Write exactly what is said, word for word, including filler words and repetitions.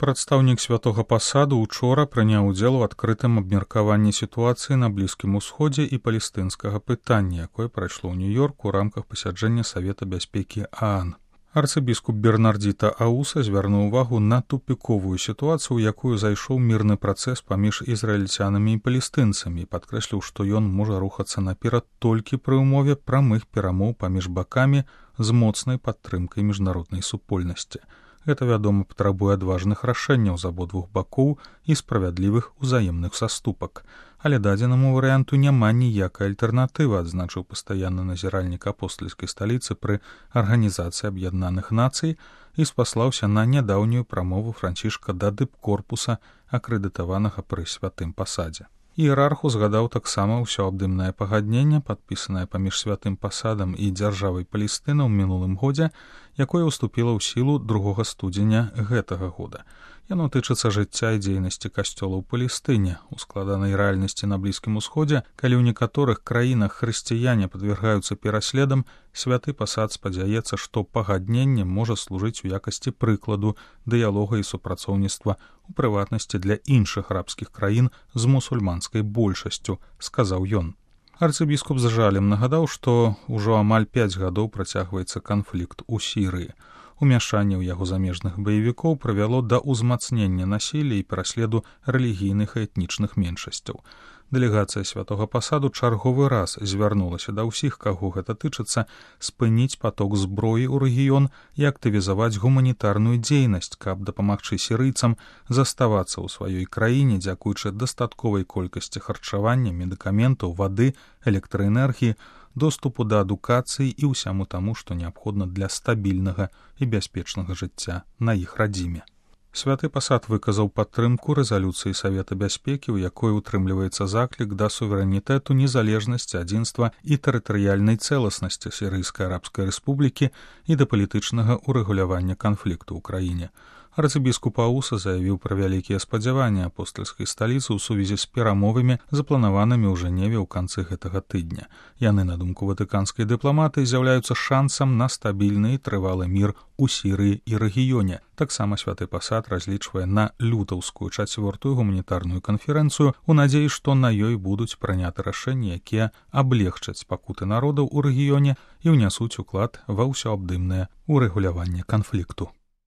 Прадстаўнік святога пасаду учора прыняў удзел у адкрытым абмеркаванні сітуацыі на Блізкім Усходзе і палестынскага пытання, якое прайшло ў Нью-Йорку ў рамках пасяджэння Савета бяспекі ААН. Арцыбіскуп Бернардзіта Ауса звярнуў увагу на тупіковую сітуацыю, у якую зайшоў мірны працэс паміж ізраільцянамі і палестынцамі, і падкрэсліў, што ён можа рухацца наперад толькі пры ўмове прамых перамоў паміж бакамі з моцнай падтрымкай міжнароднай супольнасці. Гэта, вядома, патрабуе адважных рашэнняў з абодвух бакоў і справядлівых узаемных саступак. Але дадзенаму варыянту няма ніякай альтэрнатывы, адзначыў пастаянны назіральнік апостальскай сталіцы пры Арганізацыі Аб'яднаных Нацый і спаслаўся на нядаўнюю прамову Францішка да дыпкорпуса, акрэдытаванага пры святым пасадзе. Іерарх узгадаў таксама ўсеабдымнае пагадненне, падпісанае паміж святым пасадам і дзяржавай Палестына ў мінулым годзе, якое ўступіла ў сілу другога студзеня гэтага года. Яно тычыцца жыцця і дзейнасці касцёла ў Палестыне. У складанай рэальнасці на Блізкім Усходзе, калі ў некаторых краінах хрысціяне падвяргаюцца пераследам, святы пасад спадзяецца, што пагадненне можа служыць у якасці прыкладу дыялога і супрацоўніцтва, у прыватнасці для іншых арабскіх краін з мусульманскай большасцю, сказаў ён. Арцыбіскуп з жалем нагадаў, што ўжо амаль пяць гадоў працягваецца канфлікт у Сірыі. Умяшанне ў яго замежных баевікоў прывяло да ўзмацнення насілля і пераследу рэлігійных і этнічных меншасцяў. Дэлегацыя святога пасаду чарговы раз звярнулася да ўсіх, каго гэта тычыцца, спыніць паток зброі ў рэгіён і актывізаваць гуманітарную дзейнасць, каб дапамагчы сірыйцам заставацца ў сваёй краіне, дзякуючы дастатковай колькасці харчавання, медыкаментаў, вады, электраэнергіі, доступу да адукацыі і ўсяму таму, што неабходна для стабільнага і бяспечнага жыцця на іх радзіме. Святы пасад выказаў падтрымку рэзалюцыі Савета бяспекі, у якой утрымліваецца заклік да суверэнітэту, незалежнасці, адзінства і тэрытарыяльнай цэласнасці Сірыйскай арабскай рэспублікі і да палітычнага ўрэгулявання канфлікту ў краіне. Арцыбіскуп Ауса заявіў пра вялікія спадзяванні апостальскай сталіцы ў сувязі з перамовамі, запланаванымі ў Жэневе ў канцы гэтага тыдня. Яны, на думку ватыканскай дыпламаты, з'яўляюцца шансам на стабільны і трывалы мір у Сірыі і рэгіёне. Таксама святы пасад разлічвае на лютаўскую чацвёртую гуманітарную канферэнцыю у надзеі, што на ёй будуць прыняты рашэнні, якія аблегчаць пакуты народаў у рэгіёне і ўнясуць уклад ва ўсеабдымнае ўрэгуляванне канфлікту.